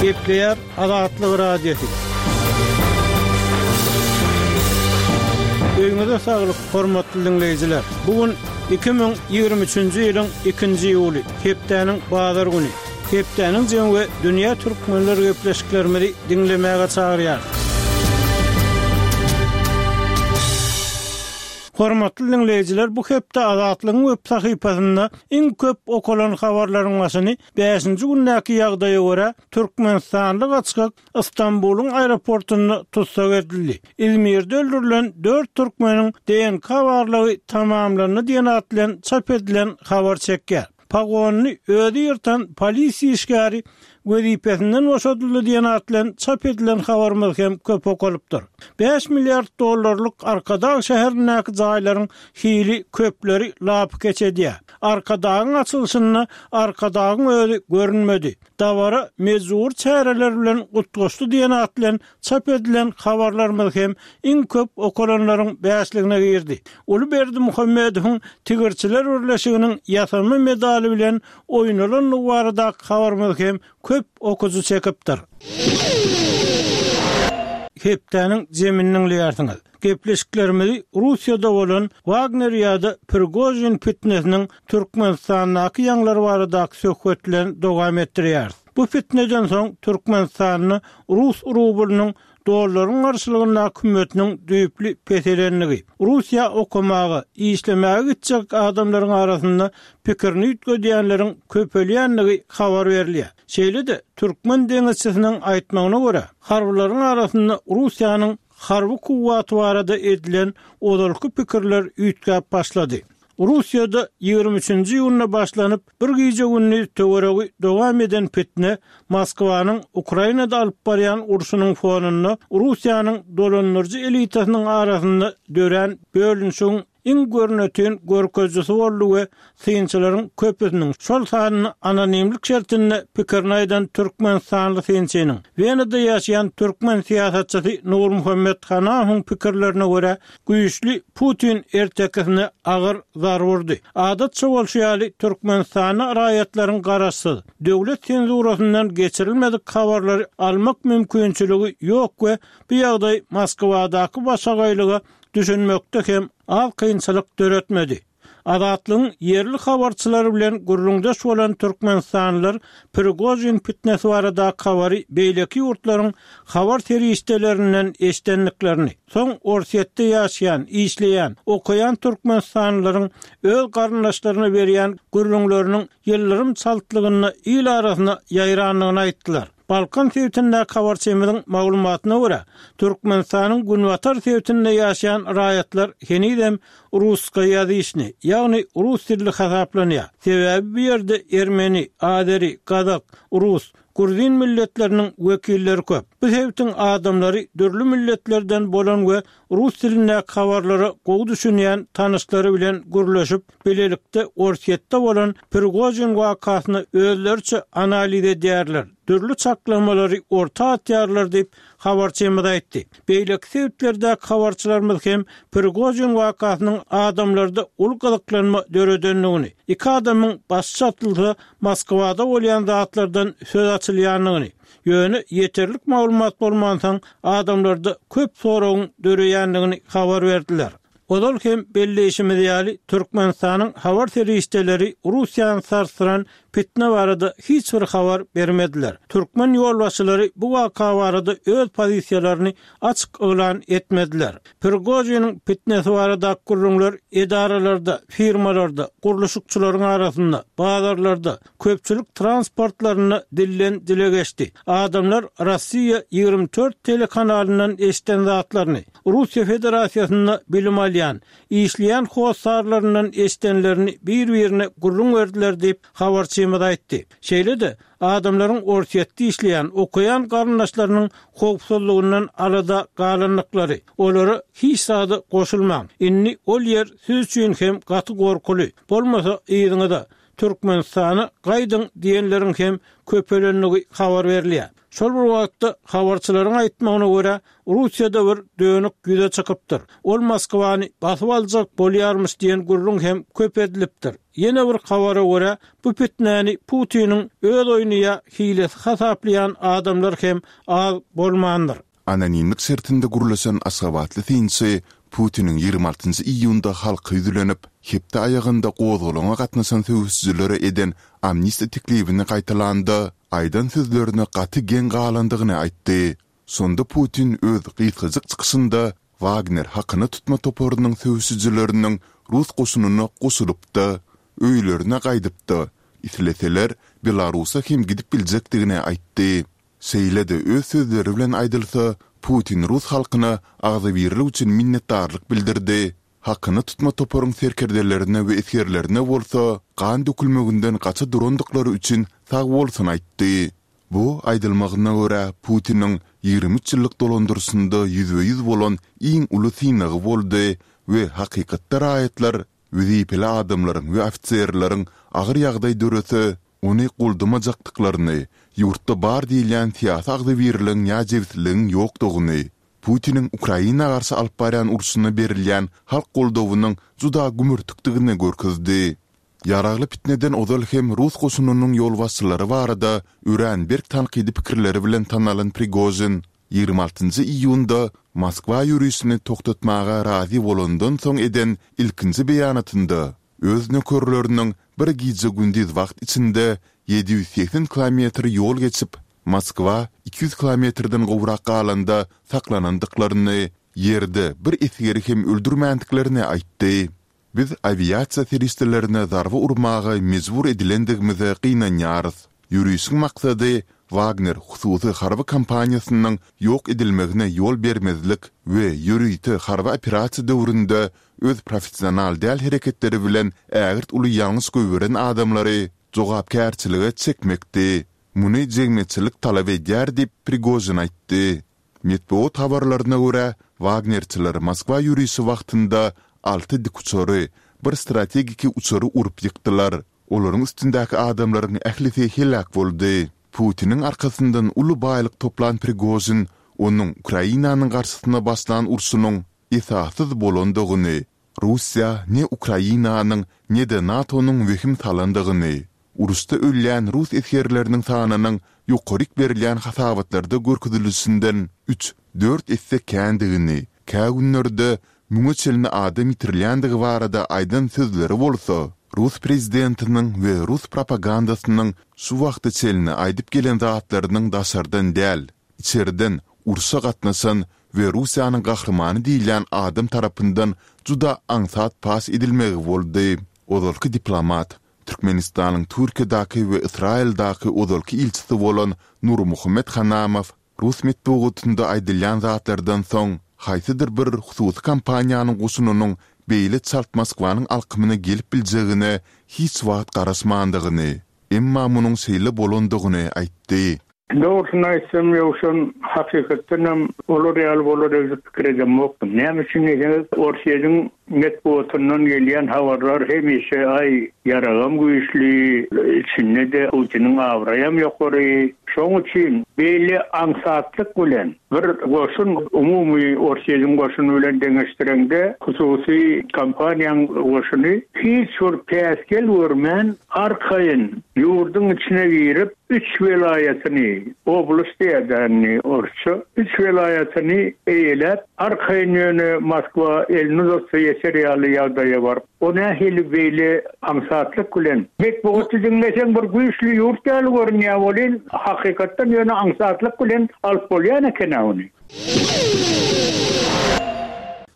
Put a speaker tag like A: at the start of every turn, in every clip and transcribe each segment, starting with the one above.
A: Gepleýär Azatlyk Radiosy. Öýüňize saglyk, hormatly diňleýjiler! Bu gün 2023-nji ýylyň ikinji iýuly, hepdäniň bazar güni. Hepdäniň jemi we dünýä türkmenler gepleşiklerimizi diňlemäge çagyrýar. Hormatly diňleýjiler, bu hepde Azatlygyň web sahypasynda iň köp okalan habarlaryň başyny bäşinji gündäki ýagdaýa görä, türkmenistanly gaçgak Stambulyň aeroportynda tussag edildi. Izmirde öldürilen dört türkmeniň DNK barlagy tamamlandy diýen at bilen çap edilen habar çekýär. Pogonyny özi ýyrtan polisiýa işgäri wezipesinden boşadyldy diýen at bilen çap edilen habarymyz hem köp okalypdyr. Bäş milliard dollarlyk Arkadag şäherindäki jaýlaryň hili köpleri lapykeç edýär. Arkadagyň açylyşynda Arkadagyň özi görünmedi. Dabara mejbury çäreler bilen utgaşdy diýen at bilen çap edilen habarlarymyz hem iň köp okalanlaryň bäşligine girdi. Uly Berdimuhamedowyň Tigirçiler birleşiginiň ýasama medaly bilen oýnalandygy baradaky habarymyz hem köp okyjy çekipdir. Hepdäniň jemini diňleýärsiňiz. Gepleşiklerimizi Russiýada bolan Wagner ýa-da Prigožin pitnesiniň Türkmenistandaky ýaňlary baradaky söhbet bilen dowam etdirýäris. Bu pitneden soň Türkmenistanda rus rublynyň dollaryň garşylygyndaky hümmetiniň düýpli peselendigi, Russiýa okamaga, işlemäge gitjek adamlaryň arasynda pikirini üýtgedýänleriň köpelýändigi habar berilýär. Şeýle-de, türkmen deňizçisiniň aýtmagyna görä, harbylaryň arasynda Russiýanyň harby kuwwaty barada edilen ozalky pikirler üýtgäp başlady. Russiýada 23 üçünji iýunda başlanyp, bir gije-gündiz töweregi dowam eden pitne Moskwanyň Ukrainada alyp barýan urşunyň fonunda Russiýanyň dolandyryjy elitasynyň arasynda dörän bölünişigiň iň görnetin görkezijisi boldy we synçylaryň köpüsiniň, şol sanda anonimlik şertinde pikirini aýdan türkmenistanly synçynyň, Wenada ýaşaýan türkmen syýasatçysy Nurmuhammet Hanahowyň pikirlerine görä, güýçli Putin ertekisine agyr zarba urdy. Adatça bolşy ýaly, Türkmenistanda raýatlaryň garaşsyz, döwlet senzurasyndan geçirilmedik habarlary almak mümkinçiligi ýok we bu ýagdaý Moskwadaky başagaýlyga düşünmekde hem az kynçylyk döretmedi. Azatlygyň ýerli habarçylary bilen gürrüňdeş bolan türkmenistanlylar Prigožin pitnesi baradaky habary beýleki ýurtlaryň habar serişdelerinden eşidendiklerini, soň Orsýetde ýaşaýan, işleýän, okaýan türkmenistanlylaryň öz garyndaşlaryna berýän gürrüňleriniň ýyldyrym çaltlygynda il arasyna ýaýrandygyny aýtdylar. Balkan sebitindäki habarçymyzyň maglumatyna görä, Türkmenistanyň günbatar sebitinde ýaşaýan raýatlar henizem russkoýazyçnyý, ýagny rus dilli hasaplanýar. Sebäbi bu ýerde ermeni, azeri, gazak, rus, gruzin milletleriniň wekilleri köp. Bu sebitiň adamlary dürli milletlerden bolan we rus dilindäki habarlara gowy düşünýän tanyşlary bilen gürleşip, bilelikde Orsýetde bolan Prigožin wakasyny özleriçe analiz edýärler, dürli çaklamalary orta atýarlar diýip, habarçymyz aýtdy. Beýleki sebitlerdäki habarçylarymyz hem Prigožin wakasynyň adamlarda uly gyzyklanma döredendigini, iki adamyň başy çatylsa, Moskwada bolýan zatlardan söz açylýandygyny, ýöne ýeterlik maglumat bolmansoň, adamlarda köp soragyň döreýändigini habar berdiler. Ozal hem belleýşimiz ýaly, Türkmenistanyň habar serişdeleri Russiýany sarsdyran pitne barada hiç bir habar bermediler. Türkmen ýolbaşçylary bu waka barada öz pozisiýalaryny açyk yglan etmediler. Prigožiniň pitnesi baradaky gürrüňler edaralarda, firmalarda, gurluşykçylaryň arasynda, bazarlarda, köpçülik transportlarynda dilden dile geçdi. Adamlar Rossiýa 24 telekanalyndan eşiden zatlaryny, Russiýa Federasiýasynda bilim alýan, işleýän hossarlaryndan eşidenlerini bir-birine gürrüň berdiler diýip, habarçymyz aýtdy. Şeýle-de, adamlaryň Orsýetde işleýän, okaýan garyndaşlarynyň howpsuzlygyndan alada galandyklary, olara hiç zada goşulmaň, indi ol ýer siz üçin hem gaty gorkuly, bolmasa yzyňyza, Türkmenistana gaýdyň diýenleriň hem köpelendigi habar berilýär. Şol bir wagtda, habarçylaryň aýtmagyna görä, Russiýada bir dönük ýüze çykypdyr. Ol Moskwany basyp aljak bolýarmyş diýen gürrüň hem köp edilipdir. Ýene bir habara görä, bu pitnäni Putiniň öz oýny ýa hilesi hasaplaýan adamlar hem az bolmandyr.
B: Anonimlik şertinde gürleşen aşgabatly synçy Putiniň 26 iýunda halka ýüzlenip, hepde aýagynda gozgalaňa gatnaşan söweşijilere eden amnistiýa teklibini gaýtalanda, aýdan sözlerine gaty geň galandygyny aýtdy. Şonda Putin öz gysgajyk çykyşynda Wagner hakyna tutma toparynyň söweşijileriniň rus goşunyna goşulyp-da, öýlerine gaýdyp-da, isleseler, Belarusa hem gidip biljekdigini aýtdy. Şeýle-de öz sözleri bilen aýdylsa, Putin rus halkyna agzybirlik üçin minnetdarlyk bildirdi, hakyna tutma toparyň serkerdelerine we esgerlerine bolsa gan dökülmeginden gaça durandyklary üçin sagbolsun aýtdy. Bu, aýdylmagyna görä, Putiniň 23 ýyllyk dolandyryşynda ýüzbe-ýüz bolan iň uly synagy boldy we hakykatda raýatlar, wezipeli adamlaryň we ofiserleriň agyr ýagdaý dörese, ony goldamajakdyklaryny, ýurtda bar diýilýän syýasy agzybirligiň ýa jebisligiň ýokdugyny, Putiniň Ukraina garşy alyp barýan urşuna berilýän halk goldawynyň juda gümürtikdigini görkezdi. Ýaragly pitneden ozal hem rus goşunynyň ýolbaşçylary barada örän berk tankydy pikirleri bilen tanalan Prigožin 26 iýunda Moskwa ýörişini togtatmaga razy bolandan soň eden ilkinji beýanatynda öz nökerleriniň bir gije-gündiz wagt içinde 780 kilometr ýol geçip, Moskwa 200 kilometrden gowrak galanda saklanandyklaryny, ýerde bir esgeri hem öldürmändiklerini aýtdy. Biz awiasiýa serişdelerine zarba urmaga mejbur edilendigimize gynanýarys. Ýörişiň maksady Wagner hususy harby kompaniýasynyň ýok edilmegine ýol bermezlik we ýörite harby operasiýa döwründe öz professional däl hereketleri bilen ägirt uly ýalňyş goýberen adamlary jogapkärçilige çekmekdi. Muny jemgyýetçilik talap edýär diýip, Prigožin aýtdy. Metbugat habarlaryna görä, wagnerçiler Moskwa ýörişi wagtynda alty dikuçary, bir strategiki uçary urup ýykdylar. Olaryň üstündäki adamlaryň ählisi heläk boldy. Putiniň arkasyndan uly baýlyk toplan Prigožin onuň Ukrainanyň garşysyna başlan urşunyň esassyz bolandygyny, Russiýa ne Ukrainanyň, ne-de NATO-nyň wehim salandygyny, uruşda ölýän rus esgerleriniň sanynyň ýokaryk berilýän hasabatlarda görkezilişinden üç, dört esse kändigini, kä günlerde müňe çenli adam ýitirilýändigi barada aýdan sözleri bolsa, rus prezidentiniň we rus propagandasynyň şu wagta çenli aýdyp gelen zatlarynyň daşardan däl, içerden urşa gatnaşan we Russiýanyň gahrymany diýilýän adam tarapyndan juda aňsat paş edilmegi boldy. Ozalky diplomat, Türkmenistanyň Türkiýedäki we Ysraýyldaky ozalky ilçisi bolan Nurmuhammet Hanamow rus metbugatynda aýdylýan zatlardan soň, haýsydyr bir hususy kompaniýanyň goşunynyň beýle çalt Moskwanyň alkymyna gelip biljegine hiç wagt garaşmandygyny, emma munuň şeýle bolandygyny aýtdy.
C: Dogrusyny aýtsam, Ýowşan, hakykatdan hem olar ýaly bolar öýdüp pikir edemokdym. Näme üçin diýseňiz, Orsýetiň metbugatyndan gelýän habarlar hemişe, aý, ýaragam güýçli, içinde-de Putiniň abraýam ýokary. Şoň üçin beýle aňsatlyk bilen bir goşun, umumy Orsýetiň goşuny bilen deňeşdireňde, hususy kompaniýaň goşuny hiç bir päsgel görmän, arkaýyn ýurduň içine girip, üç welaýatyny, oblast diýýär-dä indi orsça, üç welaýatyny eýeläp, arkaýyn ýöne Moskwa elini uzatsa ýeter ýaly ýagdaýa baryp, o nähili beýle aňsatlyk bilen, metbugaty diňleseň bir güýçli ýurt ýaly görünýär welin, hakykatdan ýöne aňsatlyk bilen alyp bolýan eken-ä ony.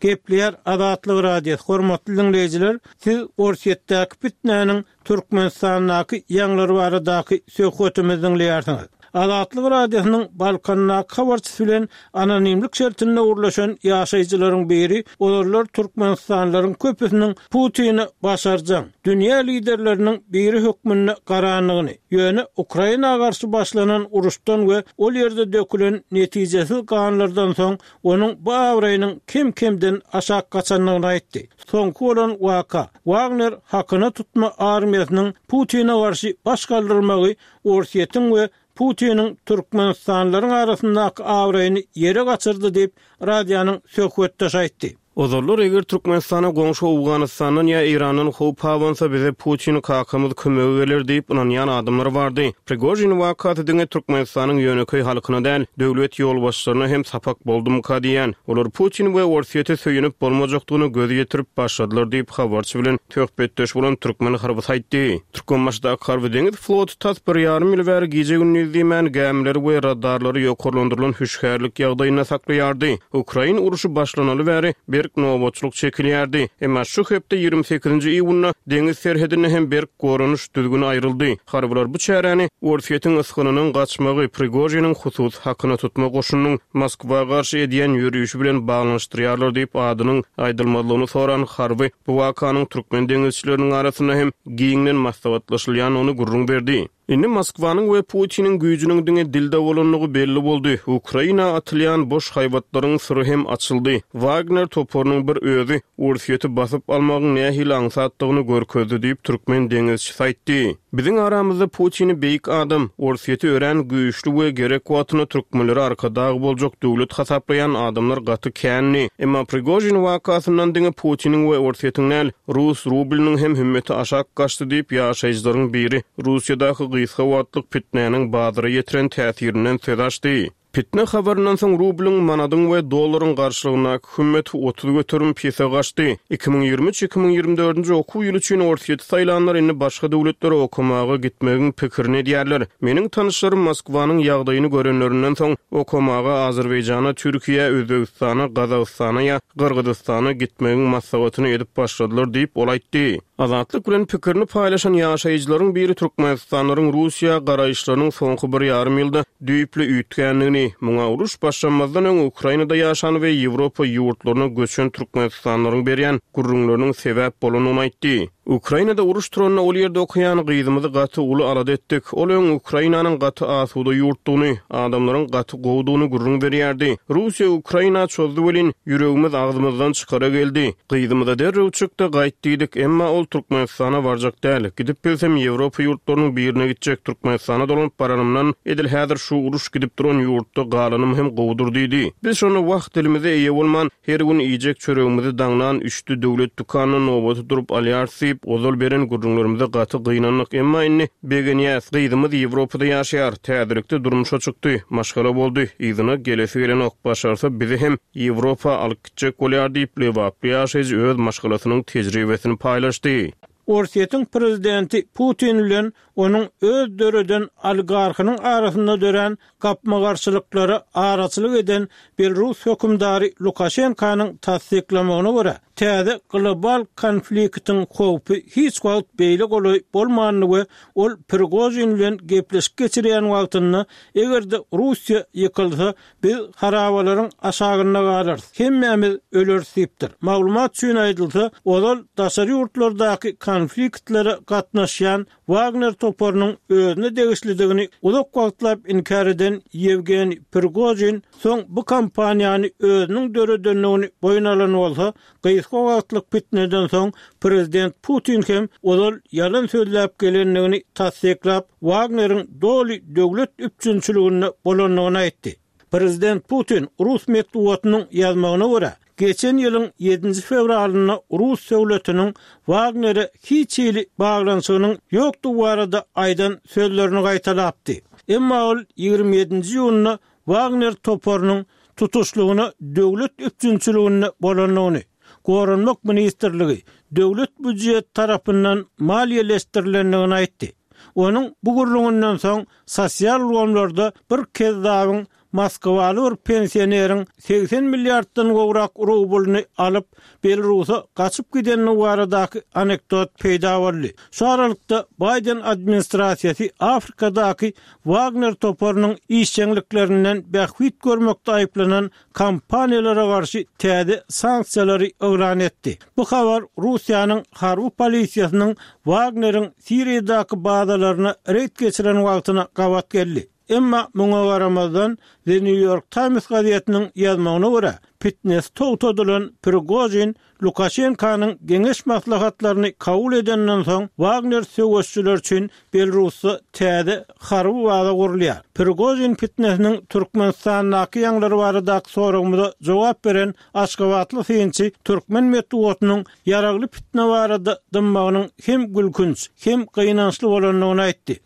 A: Gepleýär Azatlyk Radiosy, Hormatly diňleýjiler, siz Orsýetdäki pitnäniň Türkmenistandaky ýaňlar baradaky söhbetimizi diňleýärsiňiz. Azatlyk Radiosynyň Balkandaky habarçysy bilen anonimlik şertinde gürleşen ýaşaýjylaryň biri ozallar türkmenistanlylaryň köpüsiniň Putine başarjaň, dünýä liderleriniň biri hökmünde garandygyny, ýöne Ukraina garşy başlanan uruşdan we ol ýerde dökülen netijesiz ganlardan soň onuň bu abraýynyň kem-kemden aşak gaçandygyny aýtdy. Soňky bolan waka, Wagner hakyna tutma armiýasynyň Putine garşy baş galdyrmagy Orsýetiň we Putiniň türkmenistanlylaryň arasyndaky abraýyny ýere gaçyrdy diýip, radionyň söhbetdeşi aýtdy.
D: Ozallar eger Türkmenistana goňşy Owganystandan ýa Eýrandan howp abansa bize Putin kakamyz kömege geler diýip ynanýan adamlar bardy. Prigožin wakasy diňe Türkmenistanyň ýönekeý halkyna däl, döwlet ýolbaşçylaryna hem sapak boldumyka diýýän. Olar Putin we Orsýete söýenip bolmajakdygyna göz ýetirip başladylar diýip habarçy bilen söhbetdeş bolan türkmen harbysy aýtdy. Türkmenbaşydaky harby-deňiz floty tas bir ýarym ýyl bäri gije-gündiz diýmän gämileri we radarlary ýokarlandyrylan hüşgärlik ýagdaýynda saklaýardy. Ukrain urşy başlanaly bäri berk nobatçylyk çekilýärdi. Emma şu hepde 28-nji iýunda deňiz serhedinde hem berk goranyş düzgüni aýryldy. Harbylar bu çäräni Orsýetiň ysgynynyň gaçmagy, Prigožiniň hususy hakyna tutma goşunynyň Moskwa garşy edýän ýörişi bilen baglanyşdyrýarlar diýip adynyň aýdylmazlygyny soran harby bu wakanyň türkmen deňizçileriniň arasynda hem giňden maslahatlaşylýandygyny gürrüň berdi. Indi Moskwanyň we Putiniň güýjüniň diňe dilde bolandygy belli boldy. Ukraina atylýan boş haýbatlaryň syry hem açyldy. Wagner toparynyň bir özi Orsýeti basyp almagyň nähili aňsatdygyny görkezdi diýip, türkmen deňizçisi aýtdy. Biziň aramyzda Putini beýik adam, Orsýeti örän güýçli we gerek wagtynda türkmenlere arkadag boljak döwlet hasaplaýan adamlar gaty kändi. Emma Prigožin wakasyndan diňe Putiniň we Orsýetiň däl, rus rublynyň hem hümmeti aşak gaçdy diýip, ýaşaýjylaryň biri Russiýadaky gysga wagtlyk pitnäniň bazara ýetiren täsirinden söz açdy. Pitne habaryndan soň rublyň, manadyň we dollaryň garşylygyndaky hümmeti 30% pese gaçdy. 2023, 2024-nji okuw ýyly üçin Orsýeti saýlanlar indi başga döwletlere okamaga gitmegiň pikirini edýärler. Meniň tanyşlarym Moskwanyň ýagdaýyny görenlerinden soň, okamaga Azerbaýjana, Türkiýä, Özbegistana, Gazagystana ýa Gyrgyzystana gitmegiň maslahatyny edip başladylar diýip, ol aýtdy. Azatlyk bilen pikirini paýlaşan ýaşaýjylaryň biri türkmenistanlylaryň Russiýa garaýyşlarynyň soňky bir ýarym ýylda düýpli üýtgändigini, muňa uruş başlanmazdan öň Ukrainada ýaşan we Ýewropa ýurtlaryna göçen türkmenistanlylaryň berýän gürrüňleriniň sebäp bolandygyny aýtdy. Ukrainada uruş turanda ol ýerde okaýan gyzymyzy gaty uly alada etdik. Ol öň Ukrainanyň gaty asuda ýurtdugyny, adamlaryň gaty gowudygyny gürrüň berýärdi. Russiýa Ukraina çozdy welin, ýüregimiz agzymyzdan çykara geldi. Gyzymyza derrew çyk-da gaýt diýdik, emma ol Türkmenistana barjak däl. Gidip bilsem Ýewropa ýurtlarynyň birine gitjek, Türkmenistana dolanyp baranymdan, edil häzir şu uruş gidip duran ýurtda galanym hem gowudyr diýdi. Biz şonda wah dilimize eýe bolman, her gün iýjek çöregimizi daňdan üçde döwlet dükanynda nobata durup alýarys diýip, ozal beren gürrüňlerimize gaty gynandyk, emma indi begenýäs. Gyzymyz Ýewropada ýaşaýar, täzelikde durmuşa çykdy, maşgala boldy, yzyna gelesi gelenok, başarsa bizi hem Ýewropa alyp gitjek bolýar diýip, lebaply ýaşaýjy öz maşgalasynyň tejribesini paýlaşdy.
A: Orsýetiň prezidenti Putin bilen onuň öz döreden oligarhynyň arasynda dörän gapma-garşylyklara araçylyk eden belrus hökümdary Lukaşenkanyň tassyklamagyna görä, täze global konfliktiň howpy hiç wagt beýle golaý bolmandy we ol Prigožin bilen gepleşik geçirýän wagtynda eger-de Russiýa ýykylsa, Biz harabalaryň aşagynda galarys, hemmämiz öleris diýipdir. Maglumat üçin aýdylsa, ozal daşary ýurtlardaky konfliktlere gatnaşýan Wagner toparynyň özüne degişlidigini uzak wagtlap inkär eden Ýewgeniý Prigožin soň bu kompaniýany özüniň döredendigini boýun alan bolsa, gysga wagtlyk pitneden soň prezident Putin hem ozal ýalan sözläp gelendigini tassyklap, Wagneriň doly döwlet üpjünçiliginde bolandygyny aýtdy. Prezident Putin rus metbugatynyň ýazmagyna görä, geçen ýylyň ýedinji fewralynda rus döwletiniň Wagnere hiç hili baglanyşygynyň ýokdugy barada aýdan sözlerini gaýtalapdy. Emma ol 27-nji iýunda Wagner toparynyň tutuşlygyna döwlet üpjünçiliginde bolandygyny, Goranmak ministrligi, döwlet býujeti tarapyndan maliýeleşdirilendigini aýtdy. Onuň bu gürrüňinden soň sosial ulgamlarda bir kezzabyň Moskwaly bir pensioneriň 80 milliarddan gowrak rublyny alyp, Belarusa gaçyp gidendigi baradaky anekdot peýda boldy. Şu aralykda, Baýden administrasiýasy Afrikadaky Wagner toparynyň işjeňliklerinden bähbit görmekde aýyplanan kompaniýalara garşy täze sanksiýalary yglan etdi. Bu habar Russiýanyň harby polisiýasynyň Wagneriň Siriýadaky bazalaryna reýd geçiren wagtyna gabat geldi. Emma muňa garamazdan, The New York Times gazetiniň ýazmagyna görä, pitnesi togtadylan Prigožin Lukaşenkanyň geňeş-maslahatlaryny kabul edenden soň, Wagner söweşçileri üçin Belarusda täze harby baza gurulýar. Prigožin pitnesiniň Türkmenistandaky ýaňlary baradaky soragymyza jogap beren aşgabatly synçy türkmen metbugatynyň ýaragly pitne barada dymmagynyň hem gülkünç, hem gynançly bolandygyny aýtdy.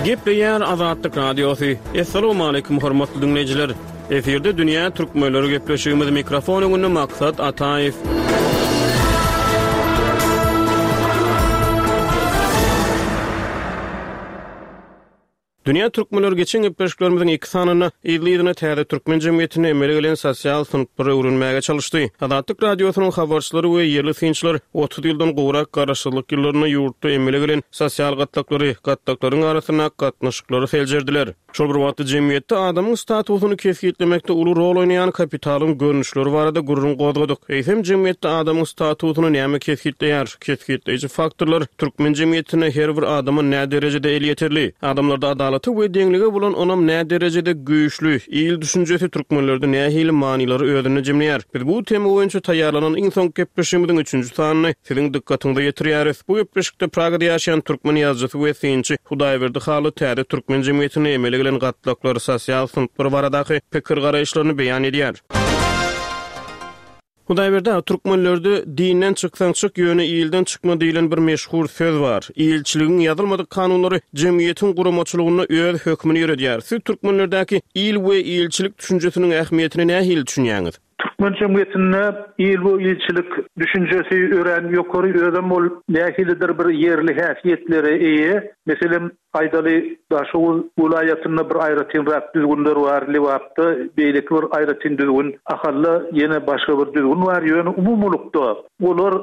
D: Gepleýär Azatlyk Radiosy. Assalamualaikum hormatly diňleýjiler. Efirde dünýä türkmenleri gepleşigimiz mikrofon öňünde Maksat Ataýew. Dünýä türkmenleri geçen gepleşiklerimiziň iki sanynda yzly-yzyna täze türkmen jemgyýetinde emele gelen sosial synplary öwrenmäge çalyşdy. Azatlyk Radiosynyň habarçylary we ýerli synçylar 30 ýyldan gowrak garaşsyzlyk ýyllarynda ýurtda emele gelen sosial gatlaklary, gatlaklaryň arasyndaky gatnaşyklary seljerdiler. Şol bir wagtda jemgyýetde adamyň statusyny kesgitlemekde uly rol oýnaýan kapitalyň görnüşleri barada gürrüň gozgadyk. Eýsem, jemgyýetde adamyň statusyny näme kesgitleýär? Kesgitleýji faktorlar türkmen jemgyýetinde her bir adama näderejede elýeterli? Adamlarda adalata we deňlige bolan ynam näderejede güýçli? Il düşünjesi türkmenlerde nähili manylary özünde jemleýär? Biz bu tema boýunça taýýarlanan iň soňky gepleşigimiziň üçünji sanyny siziň dykgatyňyza ýetirýäris. Bu gepleşikde Pragada ýaşaýan türkmen ýazyjysy we synçy Hudaýberdi Hally täze türkmen jemgyýetinde emele gelen gatlaklar, sosial synplar baradaky pikir-garaýyşlaryny beýan edýär. Hudaýberdi aga, türkmenlerde Dinden çyksaň çyk, ýöne ilden çykma diýlen bir meşhur söz bar. Ilçiligiň ýazylmadyk kanunlary jemgyýetiň guramaçylygynda öz hökmüni ýöredýär. Siz türkmenlerdäki il we ilçilik düşünjesiniň ähmiýetine nähili düşünýäňiz?
E: Türkmen jemgyýetinde il we ilçilik düşünjesi örän ýokary, özem ol nähilidir bir ýerli häsiýetlere eýe. Meselem, Aýdaly, Daşoguz welaýatynda bir aýratynrak düzgünler bar, Lebapda beýleki bir aýratyn düzgün, Ahalda ýene başga bir düzgün bar, ýöne umumylykda olar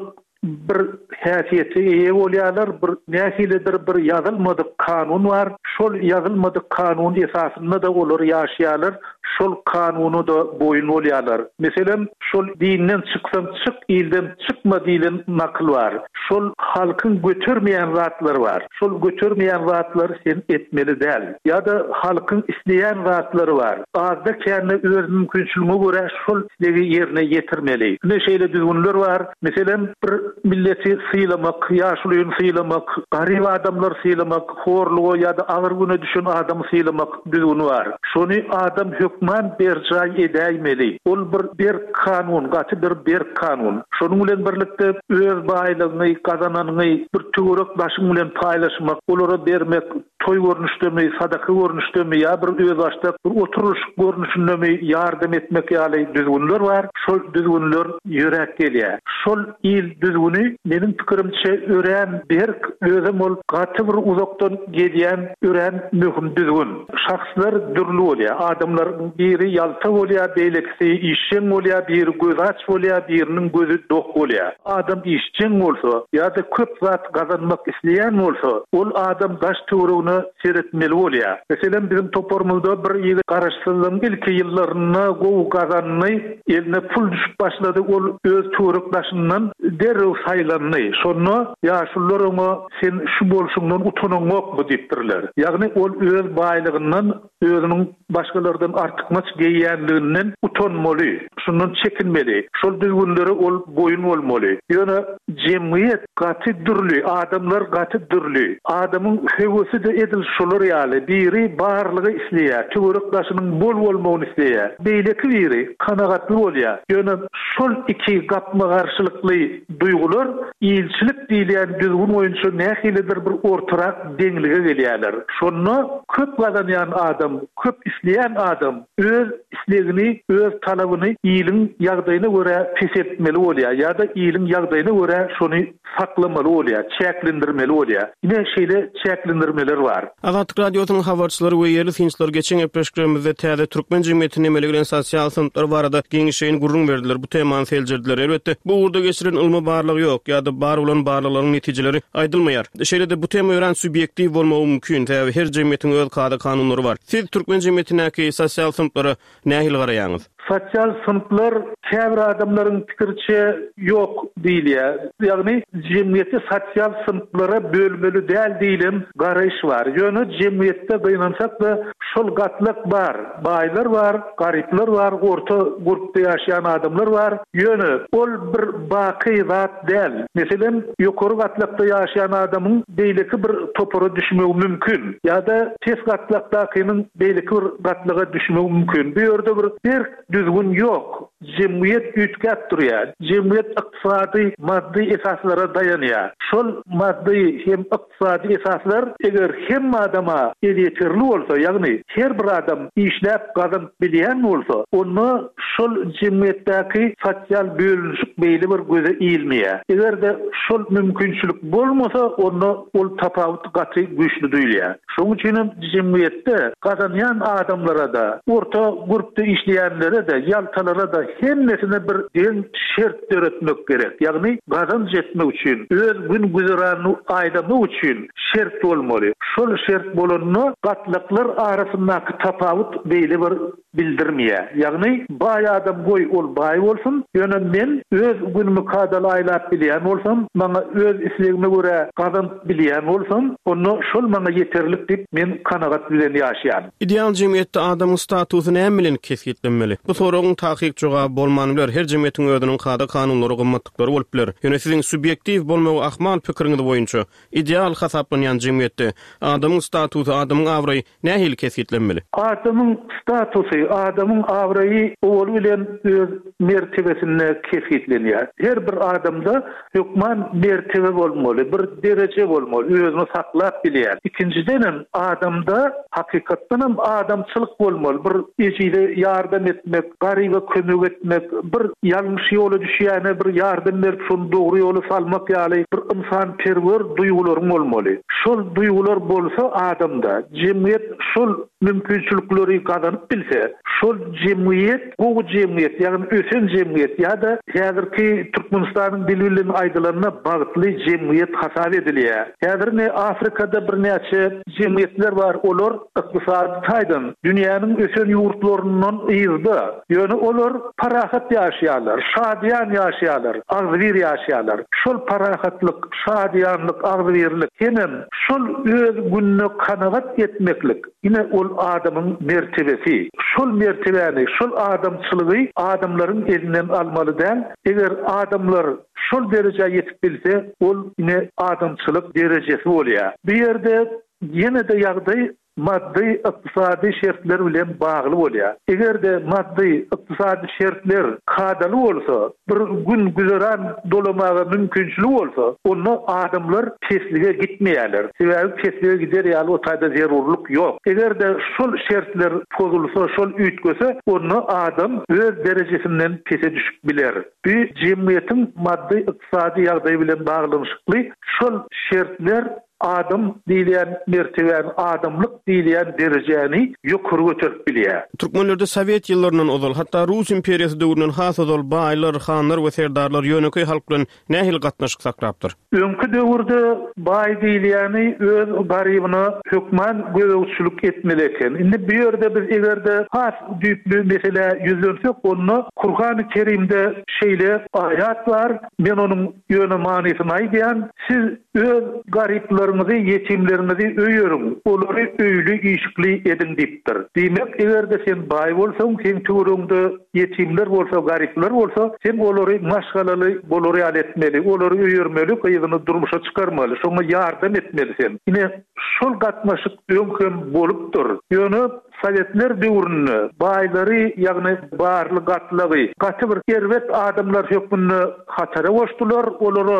E: bir häsiýete eýe bolýarlar, bir nähilidir bir ýazylmadyk kanun bar, şol ýazylmadyk kanun esasynda-da olar ýaşaýarlar, şol kanuna-da boýun bolýarlar. Meselem, şol dinden çyksaň çyk, ilden çykma diýlen nakyl bar. Şol halkyň götermeýän zatlary bar. Şol götermeýän zatlary sen etmeli däl. Ýa-da halkyň isleýän zatlary bar. Azda-kände öz mümkinçiligiňe görä şol islegi ýerine ýetirmeli. Ine şeýle düzgünler bar. Meselem, bir milleti sylamak, ýaşulyny sylamak, garyp adamlary sylamak, horluga ýa-da agyr güne düşen adamy sylamak düzgüni bar. Şony adam hökman berjaý edäýmeli. Ol bir berk kanun, gaty bir berk kanun. Şonuň bilen birlikde öz baýlygyňy, gazananyňy bir töwerek daşyň bilen paýlaşmak, olara bermek, toý görnüşdemi, sadaka görnüşdemi ýa bir özbaşdak bir oturylyşyk görnüşindemi ýardam etmek ýaly düzgünler bar. Şol düzgünler ýöräp gelýär. Şol il düzgüni meniň pikirimçe örän berk, özem ol gaty bir uzakdan gelýän örän möhüm düzgün. Şahslar dürli bolýar. Adamlaryň biri ýalta bolýar, beýlekisi işjeň bolýar, biri gözi aç bolýar, biriniň gözi dok bolýar. Adam işjeň bolsa ýa-da köp zat gazanmak isleýän bolsa, ol adam daş-töweregine seretmeli bolýar. Meselem, biziň toparymyzda bir ýigit garaşsyzlygyň ilki ýyllarynda gowy gazandy, eline pul düşüp başlady, ol öz töwerek-daşyndan derrew saýlandy. Şonda ýaşulular oňa Sen şu bolşuňdan utanaňokmy diýipdirler. Ýagny ol öz baýlygyndan, özüniň başgalardan artykmaç geýýänliginden utanmaly, şundan çekinmeli. Şol düzgünlere ol boýun bolmaly. Ýöne jemgyýet gaty dürli, adamlar gaty dürli. Adamyň höwesi-de edil şolar ýaly. Biri barlygy isleýär, töwerek-daşynyň bol bolmagyny isleýär. Beýleki biri kanagatly bolýar. Ýöne. Şol iki gapma-garşylykly duýgular ilçilik diýilýän düzgün boýunça nähilidir bir ortarak deňlige gelýärler. Şonda köp gazanýan adam, köp isleýän adam öz islegini, öz talabyny iliň ýagdaýyna görä peseltmeli bolýar ýa-da iliň ýagdaýyna görä şony saklamaly bolýar, çäklendirmeli bolýar. Ine, şeýle çäklendirmeler bar.
D: Azatlyk Radiosynyň habarçylary we ýerli synçylar geçen gepleşiklerimizde täze türkmen jemgyýetinde emele gelen sosial synplar barada giňişleýin gürrüň berdiler, bu temany seljerdiler. Elbetde, bu ugurda geçirilen ylmy barlag ýok ýa-da bar bolan barlaglaryň netijeleri aýdylmaýar. Şeýle-de, bu tema örän subýektiw bolmagy mümkin, sebäbi her jemgyýetiň öz kada-kanunlary bar. Siz türkmen jemgyýetindäki sosial synplara Nähili garaýaňyz?
E: Sosial synplar käbir adamlaryň pikiriçe ýok diýilýär. Ýagny jemgyýeti sosial synplara bölmeli däl diýlen garaýyş bar. Ýöne jemgyýetde gynansak-da şol gatlak bar. Baýlar bar, garyplar bar, orta gurpda ýaşaýan adamlar bar. Ýöne ol bir baky zat däl. Meselem, ýokary gatlakda ýaşaýan adamyň beýleki bir topara düşmegi mümkin. Ýa-da pes gatlakdakynyň beýleki bir gatlaga düşmegi mümkin. Bu ýerde bir berk düzgün ýok. Jemgyýet üýtgäp durýar. Jemgyýet ykdysady, maddy esaslara daýanýar. Şol maddy hem ykdysady esaslar eger hemme adama elýeterli bolsa, ýagny her bir adam işläp gazanyp bilýän bolsa, onda şol jemgyýetdäki sosial bölünişik beýle bir göze ilmeýär. Eger-de şol mümkinçilik bolmasa, onda ol tapawut gaty güýçli duýulýar. Şonuň üçin hem jemgyýetde gazanýan adamlara-da, orta gurpda işleýänlere-de, ýaltalara-da hemmesine bir deň şert döretmek gerek. Ýagny gazanç etmek üçin, öz gün-güzeranyny aýlamak üçin şert bolmaly. Şol şert bolanda gatlaklar arasyndaky tapawut beýle bir bildirmeýär. Ýagny, baý adam goý ol baý bolsun, ýöne men öz günümi kadaly aýlap bilýän bolsam, maňa öz islegime görä gazanyp bilýän bolsam, onda şol maňa ýeterlik diýip, men kanagat bilen ýaşaýan.
D: Ideal jemgyýetde adamyň statusy näme bilen kesgitlenmeli? Bu soragyň takyk jogaby bolman biler, her jemgyýetiň özüniň kada-kanunlary, gymmatlyklary bolup biler. Ýöne siziň subýektiw bolmagy ahmal pikiriňiz boýunça, ideal hasaplanýan jemgyýetde adamyň statusy, adamyň abraýy Nähili kesgitlenmeli?
E: Adamyň statusy, adamyň abraýy owaly bilen öz mertebesinde kesgitlenýär. Her bir adamda hökman mertebe bolmaly, bir dereje bolmaly, özüni saklap bilýän. Ikinjidenem, adamda hakykatdanam adamçylyk bolmaly, bir ejize ýardam etmek, garyba kömek etmek, bir ýalňyş ýola düşýäne bir ýardam berip şony dogry ýola salmak ýaly bir ynsanperwer duýgularyň bolmaly. Şol duýgular bolsa adamda, jemgyýet şol mümkinçilikleri gazanyp bilse, şol jemgyýet gowy jemgyýet, ýagny ösen jemgyýet ýa-da häzirki Türkmenistanyň dili bilen aýdylanda bagtly jemgyýet hasap edilýär. Häzir ine Afrikada birnäçe jemgyýetler bar, olar ykdysady taýdan dünýäniň ösen ýurtlaryndan yzda. Ýöne olar parahat ýaşaýarlar, şadyýan ýaşaýarlar, agzybir ýaşaýarlar. Şol parahatlyk, şadyýanlyk, agzybirlik hemem şol öz gününe kanagat etmeklik, ine ol adamyň mertebesi. Şol mertebäni, şol adamçylygy adamlaryň elinden almaly däl. Eger adamlar şol derejä ýetip bilse, ol ine adamçylyk derejesi bolýar. Bu ýerde Ýene-de ýagdaý maddy, ykdysady şertler bilen bagly bolýar. Eger-de maddy, ykdysady şertler kadaly bolsa, bir gün-güzeran dolamaga mümkinçiligi bolsa, onda adamlar peslige gitmeýärler. Sebäbi peslige gider ýaly o taýda zerurlyk ýok. Eger-de şol şertler pozulsa, şol üýtgese, onda adam öz derejesinden pese düşüp biler. Bu jemgyýetiň maddy, ykdysady ýagdaýy bilen baglanyşykly şol şertler Adam diýilýän mertebäni, adamlyk diýilýän derejäni ýokary göterip bilýär.
D: Türkmenlerde sowet ýyllaryndan ozal, hatda Rus imperiýasy döwründen has ozal baýlar, hanlar we serdarlar ýönekeý halk bilen nähili gatnaşyk saklapdyr?
E: Öňki döwürde baý diýilýäni öz garybyna hökman gözegçilik etmeli eken. Indi bu ýerde biz eger-de has düýpli meselä ýüzlensek, onda Kurhany Kerimde şeýle aýat bar, men onuň ýöne manysyny aýdýan, Siz öz garyplaryňyzy, ýetimleriňizi öýeriň, olary öýli-işikli ediň diýipdir. Diýmek, eger-de sen baý bolsaň, seň töweregiňde ýetimler bolsa, garyplar bolsa, sen olary maşgalaly bolar ýaly etmeli, olary öýermeli, gyzyny durmuşa çykarmaly, şoňa ýardam etmeli sen. Ine, şol gatnaşyk öň hem bolupdyr. Ýöne. Sowetler döwründe baýlary, ýagny barly gatlagy gaty bir erbet adamlar hökmünde hatara goşdular, olara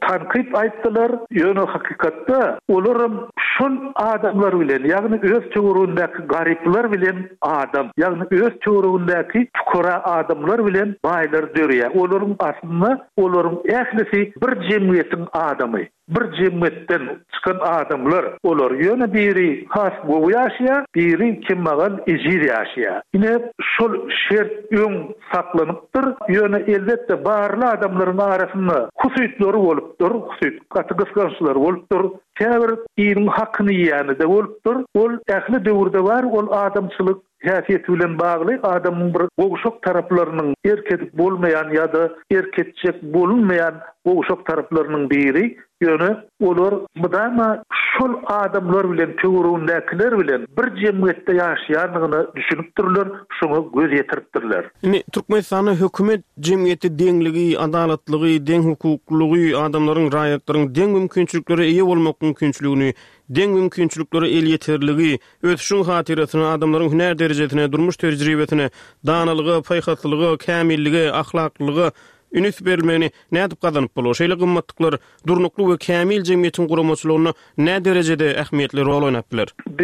E: tankyt aýtdylar, ýöne hakykatda olaram şol adamlar bilen, ýagny öz töweregindäki garyplar bilen adam, ýagny öz töweregindäki pukara adamlar bilen baýlar dörýär. Olaryň aslynda olaryň ählisi bir jemgyýetiň adamy. Bir jemgyýetden çykan adamlar olar. Ýöne biri has gowy ýaşaýar, biri kemmagal, ejiz ýaşaýar. Ine, şol şert öň saklanypdyr. Ýöne, elbetde, barly adamlaryň arasynda husytlary bolupdyr, husyt, gaty gysgançlary bolupdyr. Käbir iliň hakyny iýýäni-de bolupdyr. Ol ähli döwürde bar, ol adamçylyk häsiýeti bilen bagly adamyň bir gowşak taraplarynyň erk edip bolmaýan ýa-da erk etjek bolunmaýan gowşak taraplarynyň biri, ýöne olar mydama şol adamlar bilen, töweregindäkiler bilen bir jemgyýetde ýaşaýandygyna düşünipdirler, şoňa göz ýetiripdirler.
D: Indi Türkmenistanda hökümet jemgyýetde deňligi, adalatlygy, deňhukuklylygy, adamlaryň, raýatlaryň deň mümkinçiliklere eýe bolmak mümkinçiligini, deň mümkinçiliklere elýeterligi, Ösüşiň hatyrasyna, adamlaryň hünär derejesine, durmuş tejribesine, danalyga, paýhaslylyga, kämillige, ahlaklylyga ünüs berilmegini nädip gazanyp bolar? Şeýle gymmatlyklar durnukly we kämil jemgyýetiň guramaçylygynda näderejede ähmiýetli rol oýnap biler?
E: Bu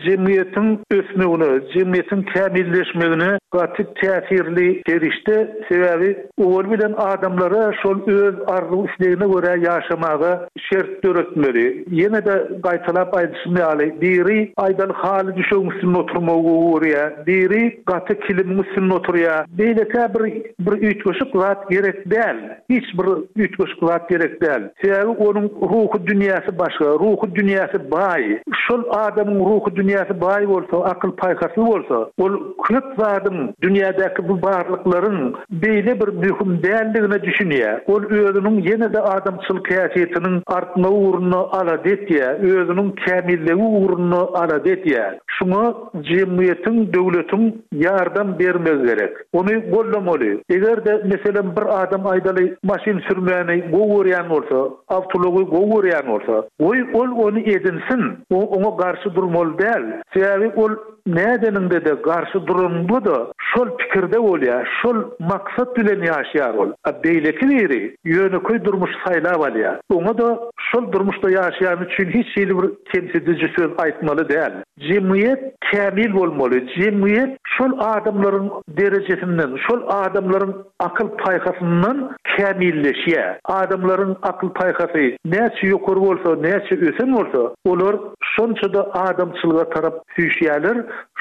E: jemgyýetiň ösmegine, jemgyýetiň kämilleşmegine gaty täsirli serişde, sebäbi owal bilen adamlara şol öz arzuw-islegine görä ýaşamaga şert döretmeli. Ýene-de gaýtalap aýdyşym ýaly, biri aýdaly haly düşegiň üstünde oturmagy gowy görýär, biri gaty kilimiň üstünde oturýar. Beýlekä bir bir üýtgeşik zat gerek däl. Hiç bir üýtgeşik zat gerek däl. Sebäbi onuň ruhy dünýäsi başga, ruhy dünýäsi baý. Şol adamyň ruhy dünýäsi baý bolsa, akyl-paýhasly bolsa, ol köp zadyň, dünýädäki bu barlyklaryň beýle bir möhüm däldigine düşünýär. Ol özüniň ýene-de adamçylyk häsiýetiniň artmagy ugrunda alada etýär, özüniň kämilligi ugrunda alada edýär. Şuňa jemgyýetiň, döwletiň ýardam bermegi gerek. Ony goldamaly. Eger-de, meselem, bir adam aýdaly maşyn sürmäni gowy görýän bolsa, awtoulagy gowy görýän bolsa, goý, ol ony edinsin, oňa garşy durmaly däl. Sebäbi ol Nädeniňde-de garşy duranyňda-da şol pikirde bolýar, şol maksat bilen ýaşaýar ol. A beýleki biri ýönekeý durmuşy saýlap alýar. Oňa-da şol durmuşda ýaşaýany üçin hiç hili bir kemsidiji söz aýtmaly däl. Jemgyýet kämil bolmaly. Jemgyýet şol adamlaryň derejesinden, şol adamlaryň akyl-paýhasyndan kämilleşýär. Adamlaryň akyl-paýhasy näçe ýokary bolsa, näçe ösen bolsa, olar şonça-da adamçylyga tarap süýşýärler,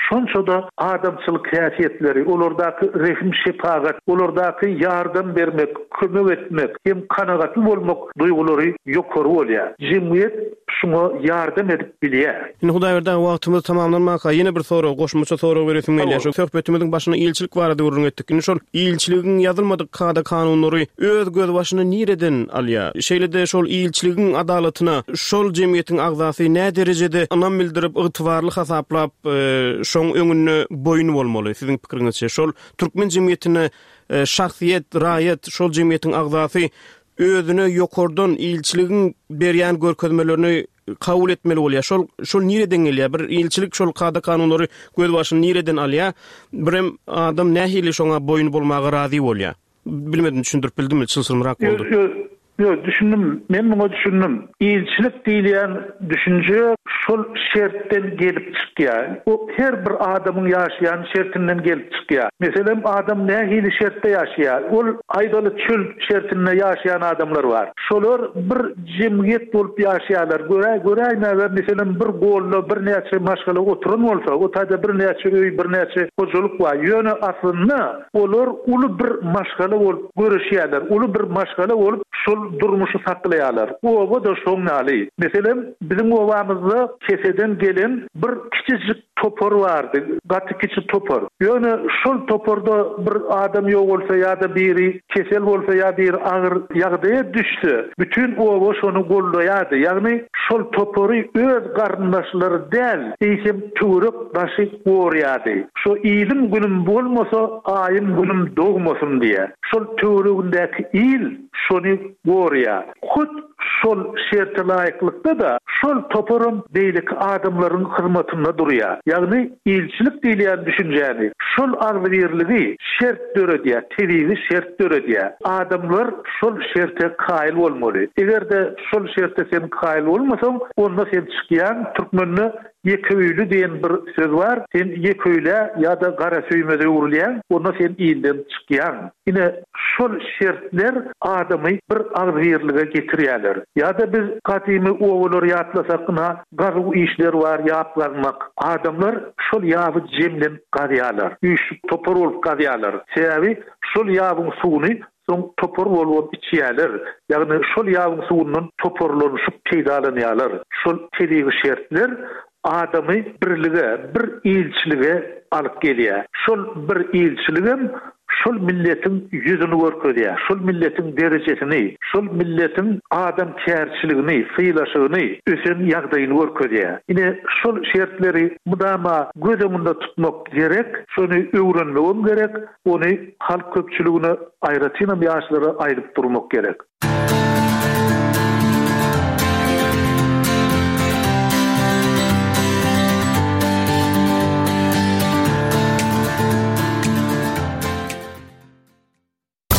E: şonça-da adamçylyk häsiýetleri, olardaky rehim-şepagat, olardaky ýardam bermek, kömek etmek hem kanagatly bolmak duýgulary ýokary bolýar. Jemgyýet şuňa ýardam edip bilýär.
D: Indi Hudaýberdi aga wagtymyz tamamlanmaka ýene bir sorag, goşmaça sorag beresim gelýär. Şu söhbetimiziň başynda ilçilik barada gürrüň etdik. Indi şol ilçiligiň ýazylmadyk kada-kanunlary öz gözbaşyny nireden alýar? Şeýle-de şol ilçiligiň adalatyna şol jemgyýetiň agzasy näderejede ynam bildirip, ygtybarly hasaplap, şoň öňünde boýun bolmaly, siziň pikiriňizçe? Şol türkmen jemgyýetinde şahsyýet, raýat, şol jemgyýetiň agzasy özüne ýokardan ilçiligiň berýän görkezmelerini kabul etmeli bolýar. Şol şol nireden gelýär? Bir ilçilik şol kada-kanunlary gözbaşyny nireden alýar? Birem adam nähili şoňa boýun bolmaga razy bolýar? Bilmedim düşündirip bildimmi? Çylşyrymrak boldy.
E: Ýok, ýok, düşündim. Men muňa düşündim. Ilçilik diýilýän düşünje şol şertden gelip çykýar. O her bir adamyň ýaşaýan şertinden gelip çykýar. Meselem, adam nähili şertde ýaşaýar? Ol aýdaly çöl şertinde ýaşaýan adamlar bar. Şolar bir jemgyýet bolup ýaşaýarlar. Görä, göräýmäge, meselem, bir golda birnäçe maşgala oturan bolsa, o taýda birnäçe öý, birnäçe hojalyk bar. Ýöne aslynda olar uly bir maşgala bolup göreşýärler, uly bir maşgala bolup şol durmuşy saklaýarlar. Oba-da şoň ýaly. Meselem, biziň obamyzda keseden gelen bir kiçijik topar bardy, gaty kiçi topar. Ýöne şol toparda bir adam ýogalsa ýa-da biri kesel bolsa ýa biri agyr ýagdaýa düşse, bütin oba şony goldaýardy. Ýagny şol topary öz garyndaşlary däl, eýsem töwerek daşy gorýardy. Şo ilim-günüm bolmasa, aýym-günüm dogmasyn diýýär. Şol töweregindäki il şony gorýar. Hut şol şerte laýyklykda-da, şol. Şol toparam beýleki adamlaryň hyzmatynda durýar. Ýagny ilçilik diýilýän düşünjäni, şol agzybirligi şert döredýär, tebigy şert döredýär. Adamlar şol şerte kaýyl bolmaly. Eger-de şol şerte sen kaýyl bolmasaň, onda sen çykýaň, türkmende Ýeke öýli diýen bir söz bar, sen ýeke öýlä ýa-da garasöýmeze öwrülýäň, onda sen ilden çykýaň. Ine, şol şertler adamy bir agzybirlige getirýärler. Ýa-da biz gadymy obalary ýatlasak, ynha, gazuw işleri bar, ýap gazmak. Adamlar şol ýaby jemlenip gazýarlar, üýşüp topar bolup gazýarlar. Sebäbi şol ýabyň suwuny Soň topar bolubam içýäler. Ýagny şol ýabyň suwundan toparlanyşyp peýdalanýarlar. Şol tebigy şertler adamy birlige, bir ilçilige alyp gelýär. Şol bir ilçiligem şol milletiň ýüzüni görkezýär, şol milletiň derejesini, şol milletiň adamkärçiligini, sylaşygyny, ösen ýagdaýyny görkezýär. Ine, şol şertleri mydama göz öňünde tutmak gerek, şony öwrenmegem gerek. Ony halk köpçüligine, aýratynam ýaşlara aýdyp durmak gerek.